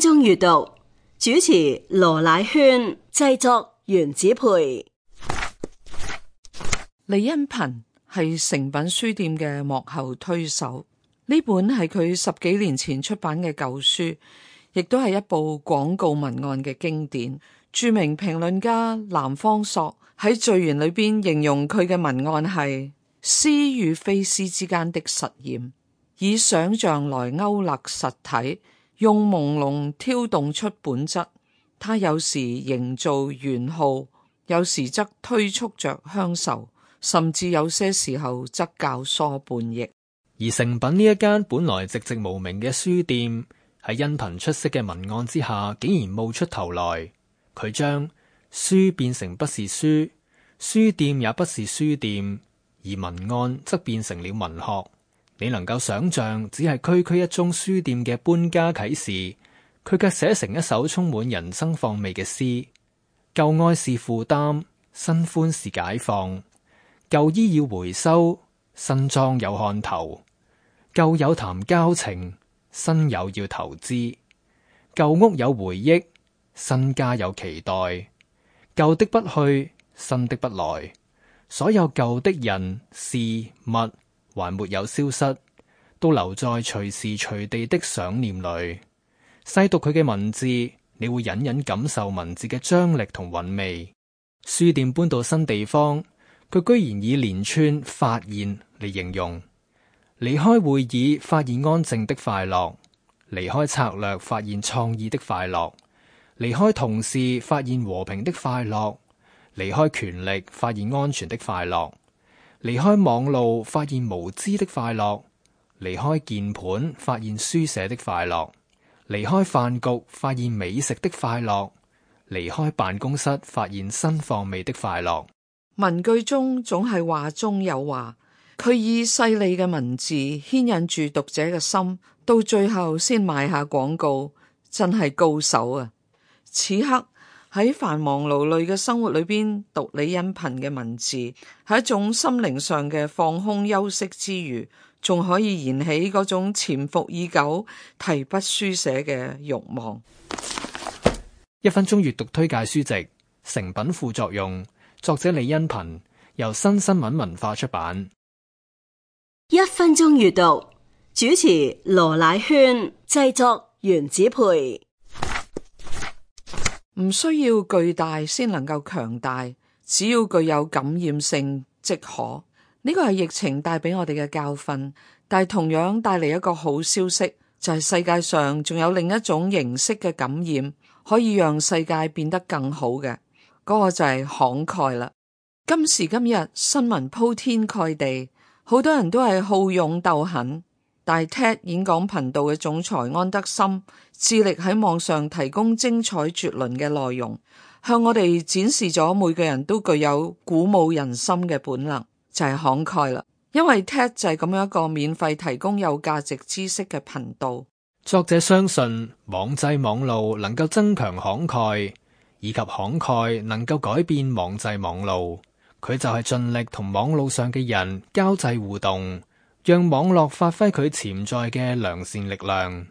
鐘閱讀，主持羅乃萱，製作原子培。李恩頻係誠品書店嘅幕後推手，呢本係佢10幾年前出版嘅舊書，亦都係一部廣告文案嘅經典。著名評論家南方朔喺序言裏邊形容佢嘅文案係詩與非詩之間的實驗，以想象來勾勒實體，用朦朧挑動出本質。他有時營造玄浩，有時則推促着鄉愁，甚至有些時候則教唆叛逆。而誠品呢一間本來寂寂無名嘅書店，喺恩頻出色嘅文案之下，竟然冒出頭來。佢將書變成不是書，書店也不是書店，而文案則變成了文學。你能夠想象，只係區區一宗書店嘅搬家啟示，佢卻寫成一首充滿人生況味嘅詩。舊愛是負擔，新歡是解放。舊衣要回收，新裝有看頭。舊友談交情，新友要投資。舊屋有回憶，新家有期待。舊的不去，新的不來。所有舊的人事物還沒有消失，都留在隨時隨地的想念裏。細讀佢嘅文字，你會隱隱感受文字嘅張力同韻味。書店搬到新地方，佢居然以連串發現嚟形容。離開會議，發現安靜的快樂；離開策略，發現創意的快樂；離開同事，發現和平的快樂；離開權力，發現安全的快樂；離開網路，發現無知的快樂；離開鍵盤，發現書寫的快樂；離開飯局，發現美食的快樂；離開辦公室，發現新況味的快樂。文句中總係話中有話，佢以細膩嘅文字牽引住讀者嘅心，到最後先賣下廣告，真係高手啊！此刻喺繁忙勞累嘅生活裏邊讀李恩頻嘅文字，係一種心靈上嘅放空休息之餘，仲可以燃起嗰種潛伏已久提筆書寫嘅慾望。1分鐘閱讀推介書籍《誠品副作用》，作者李恩頻，由新新聞文化出版。1分鐘閱讀，主持羅乃萱，製作原子培。唔需要巨大先能夠強大，只要具有感染性即可。呢個係疫情帶俾我哋嘅教訓，但係同樣帶嚟一個好消息，就係世界上仲有另一種形式嘅感染，可以讓世界變得更好嘅。嗰個就係慷慨啦。今時今日新聞鋪天蓋地，好多人都係好勇鬥狠，但係 TED 演講頻道嘅總裁安德森致力喺網上提供精彩絕倫嘅內容，向我哋展示咗每個人都具有鼓舞人心嘅本能，就係慷慨啦。因為 TED 就係咁樣一個免費提供有價值知識嘅頻道。作者相信網際網路能夠增強慷慨，以及慷慨能夠改變網際網路。佢就係盡力同網路上嘅人交際互動，讓網絡發揮佢潛在嘅良善力量。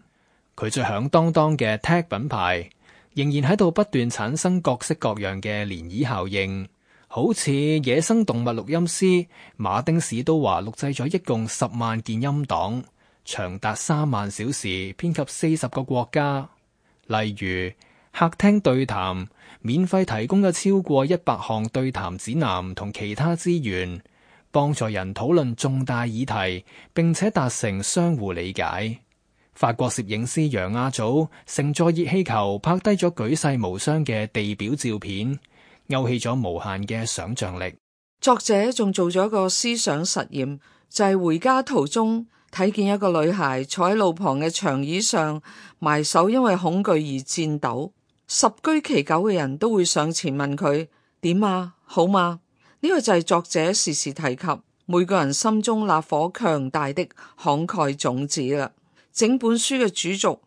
佢最響當當嘅 tag 品牌仍然喺度不斷產生各式各樣嘅漣漪效應，好似野生動物錄音師馬丁史都華錄製咗一共10萬件音檔，長達3萬小時，遍及40個國家。例如客廳對談免費提供咗超過100項對談指南同其他資源，幫助人討論重大議題，並且達成相互理解。法國攝影師楊亞祖乘坐熱氣球拍低咗舉世無雙嘅地表照片，勾起咗無限嘅想象力。作者仲做咗一個思想實驗，就係回家途中睇見一個女孩坐喺路旁嘅長椅上，埋手因為恐懼而顫抖。十居其九嘅人都會上前問佢點啊，好嗎？呢個就係作者時時提及每個人心中那顆強大的慷慨種子啦。整本書嘅主軸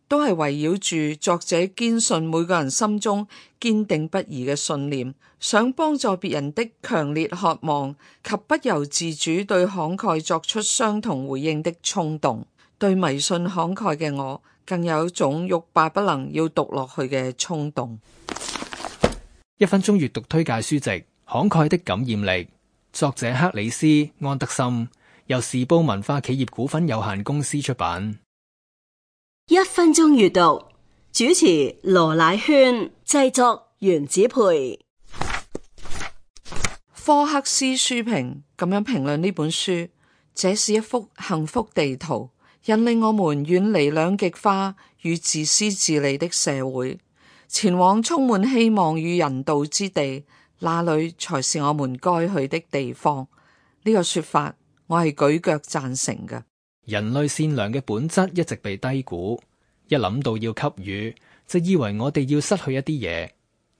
都係圍繞住作者堅信每個人心中堅定不移嘅信念，想幫助別人的強烈渴望及不由自主對慷慨作出相同回應的衝動。對迷信慷慨嘅我，更有一種欲罷不能要讀落去嘅衝動。1分鐘閱讀推介書籍《慷慨的感染力》，作者克里斯·安德森，由時報文化企業股份有限公司出版。1分鐘閱讀，主持羅乃萱，製作原子培。科克斯書評咁樣評論呢本書：這是一幅幸福地圖，引領我們遠離兩極化與自私自利的社會，前往充滿希望與人道之地，那裡才是我們該去的地方。呢個說法我係舉腳贊成嘅。人類善良嘅本質一直被低估，一諗到要給予，就以為我哋要失去一啲嘢。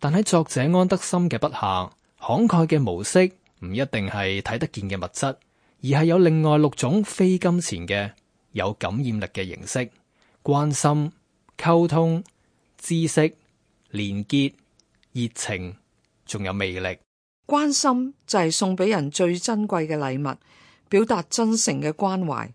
但喺作者安德森嘅筆下，慷慨嘅模式唔一定係睇得見嘅物質，而係有另外6種非金錢嘅有感染力嘅形式：關心、溝通、知識、連結、熱情，仲有魅力。關心就係送俾人最珍貴嘅禮物，表達真誠嘅關懷，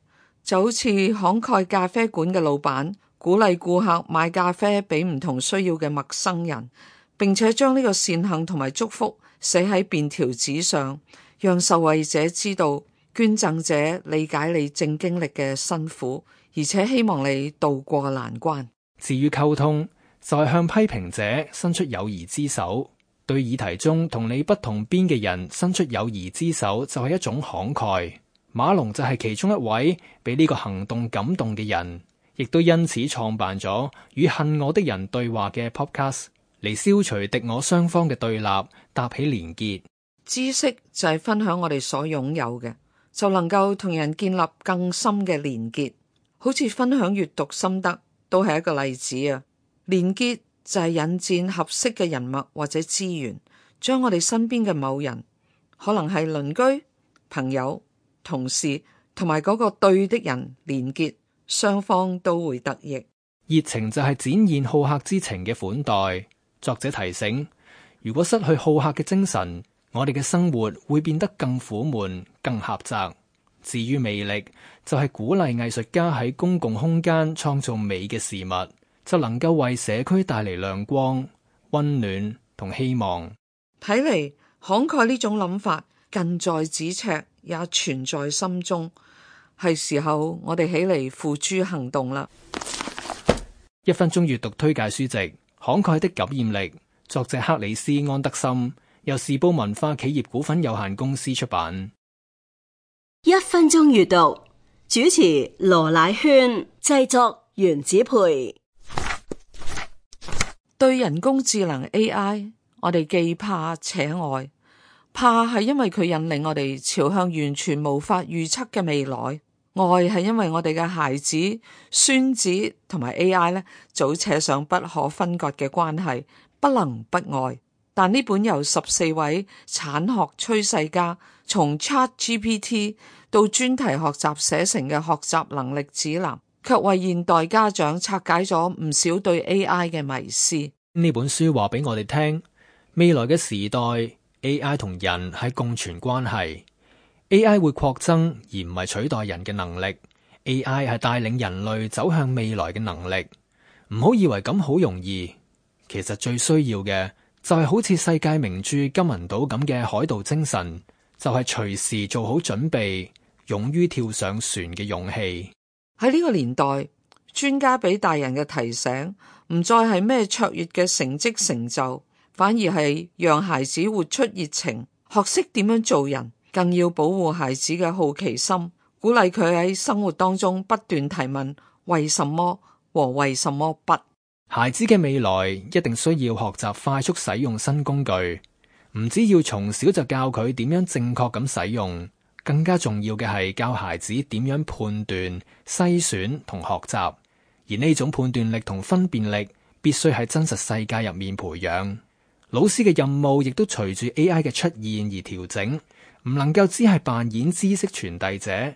就好似慷慨咖啡館嘅老闆鼓勵顧客買咖啡俾唔同需要嘅陌生人，並且將呢個善行同埋祝福寫喺便條紙上，讓受惠者知道捐贈者理解你正經歷嘅辛苦，而且希望你渡過難關。至於溝通，就係向批評者伸出友誼之手，對議題中同你不同邊嘅人伸出友誼之手，就係一種慷慨。馬龍就係其中一位被呢個行動感動嘅人，亦都因此創辦咗與恨我的人對話嘅 podcast， 嚟消除敵我雙方嘅對立，搭起連結。知識就係分享我哋所擁有嘅，就能夠同人建立更深嘅連結。好似分享閱讀心得都係一個例子啊！連結就係引薦合適嘅人脈或者資源，將我哋身邊嘅某人，可能係鄰居、朋友、同事同埋嗰個對的人連結，雙方都會得益。熱情就係展現好客之情嘅款待。作者提醒，如果失去好客嘅精神，我哋嘅生活會變得更苦悶、更狹窄。至於魅力，就係鼓勵藝術家喺公共空間創造美嘅事物，就能夠為社區帶嚟亮光、溫暖同希望。睇嚟慷慨呢種諗法近在咫尺，也存在心中，係時候我哋起嚟付諸行動啦。1分鐘閱讀推介書籍《慷慨的感染力》，作者克里斯·安德森，由時報文化企業股份有限公司出版。1分鐘閱讀，主持羅乃萱，製作原子培。對人工智能 AI， 我哋既怕且愛。怕係因為佢引領我哋朝向完全無法預測嘅未來，愛係因為我哋嘅孩子、孫子同埋 AI 呢，早扯上不可分割嘅關係，不能不愛。但呢本由14位產學趨勢家從 ChatGPT 到專題學習寫成嘅學習能力指南，卻為現代家長拆解咗唔少對 AI 嘅迷思。呢本書話俾我哋聽，未來嘅時代 AI 同人係共存關係。AI 會擴增而唔係取代人嘅能力。AI 係帶領人類走向未來嘅能力。唔好以為咁好容易，其實最需要嘅就係好似世界名著金銀島咁嘅海盜精神，就係隨時做好準備，勇於跳上船嘅勇氣。喺呢個年代，專家俾大人嘅提醒唔再係咩卓越嘅成績成就，反而係讓孩子活出熱情，學識點樣做人，更要保護孩子嘅好奇心，鼓勵佢喺生活當中不斷提問為什麼和為什麼不。孩子嘅未來一定需要學習快速使用新工具，唔只要從小就教佢點樣正確咁使用，更加重要嘅係教孩子點樣判斷、篩選同學習。而呢種判斷力同分辨力必須喺真實世界入面培養。老師嘅任務亦都隨住 AI 嘅出現而調整，唔能夠只係扮演知識傳遞者，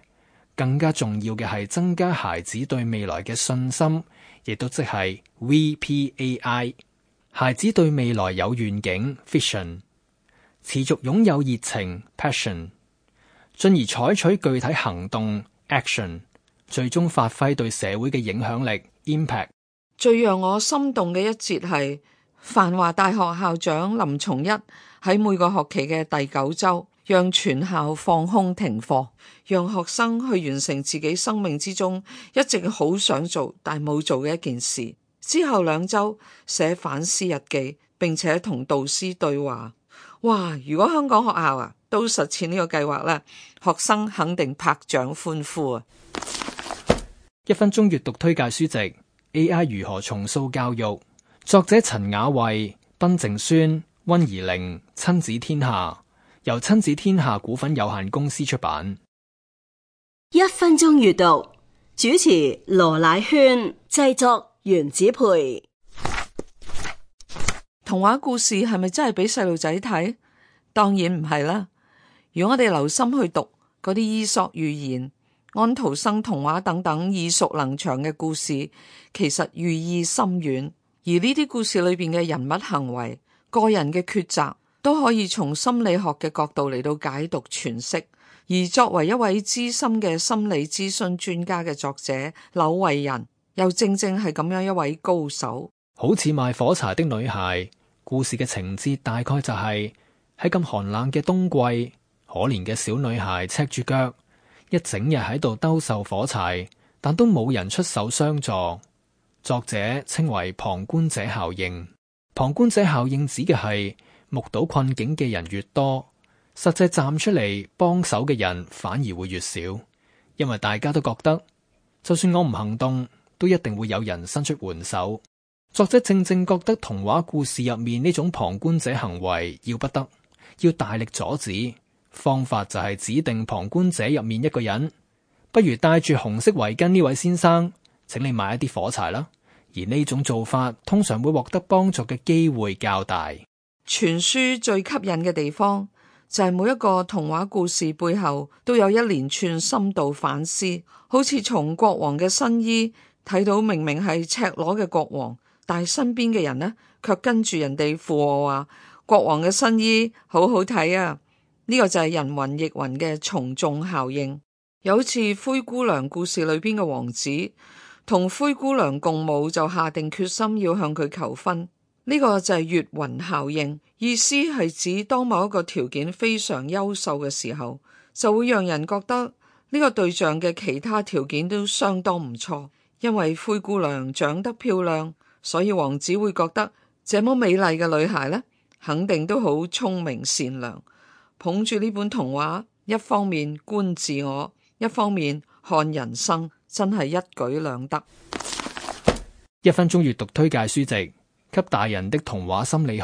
更加重要嘅係增加孩子對未來嘅信心，亦都即係 VPAI。孩子對未來有願景 Vision， 持續擁有熱情 Passion， 進而採取具體行動 Action， 最終發揮對社會嘅影響力 impact。最讓我心動嘅一節係繁華大學校長林松一喺每個學期嘅第9週，讓全校放空停課，讓學生去完成自己生命之中一直好想做但冇做嘅一件事。之後2週寫反思日記，並且同導師對話。哇！如果香港學校都實踐呢個計劃咧，學生肯定拍掌歡呼啊！1分鐘閱讀推介書籍 AI 如何重塑教育，作者陳雅慧、賓靜蓀、溫怡玲，親子天下，由親子天下股份有限公司出版。1分鐘閱讀，主持羅乃萱，製作原子培。童話故事係咪真係俾細路仔睇？當然唔係啦。如果我哋留心去讀嗰啲伊索寓言、安徒生童話等等耳熟能詳嘅故事，其實寓意深遠。而呢啲故事裏邊嘅人物行為、個人嘅抉擇，都可以從心理學嘅角度嚟到解讀詮釋。而作為一位資深嘅心理諮詢專家嘅作者柳慧仁，又正正係咁樣一位高手。好似賣火柴的女孩，故事嘅情節大概就係喺咁寒冷嘅冬季，可憐嘅小女孩赤住腳，一整日喺度兜售火柴，但都冇人出手相助。作者稱為旁觀者效應。旁觀者效應指嘅係目睹困境嘅人越多，實際站出嚟幫手嘅人反而會越少，因為大家都覺得就算我唔行動，都一定會有人伸出援手。作者正正覺得童話故事入面呢種旁觀者行為要不得，要大力阻止。方法就係指定旁觀者入面一個人，不如戴住紅色圍巾呢位先生，請你買一啲火柴啦。而呢種做法通常會獲得幫助嘅機會較大。全書最吸引嘅地方就係每一個童話故事背後都有一連串深度反思，好似從國王嘅新衣睇到明明係赤裸嘅國王，但係身邊嘅人呢，卻跟住人哋附和話國王嘅新衣好好睇啊！呢個就係人云亦云嘅從眾效應。有好似灰姑娘故事裏邊嘅王子同灰姑娘共舞，就下定決心要向佢求婚。呢個就係月暈效應，意思係指當某一個條件非常優秀嘅時候，就會讓人覺得呢個對象嘅其他條件都相當唔錯。因為灰姑娘長得漂亮，所以王子會覺得這麼美麗嘅女孩呢，肯定都好聰明善良。捧住呢本童話，一方面觀自我，一方面看人生，真係一舉兩得。1分鐘閱讀推介書籍《給大人的童話心理學》，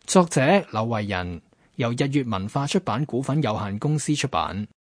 作者柳慧仁，由日月文化出版股份有限公司出版。